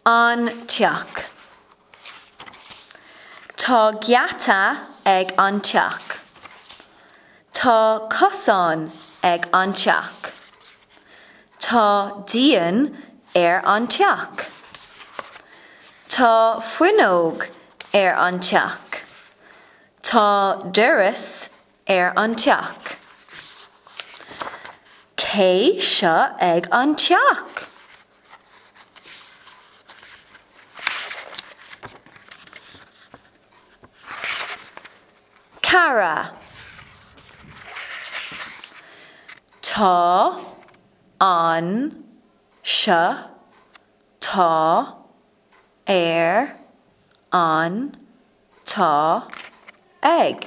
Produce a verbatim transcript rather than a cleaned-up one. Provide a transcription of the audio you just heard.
An teach. Tá geata ag an teach. Tá cosán ag an teach. Tá díon ar an teach. Tá fuinneog ar an teach. Tá doras ar an teach. Cé seo ag an teach? Cara. Tá an seo tá ar an tá ag.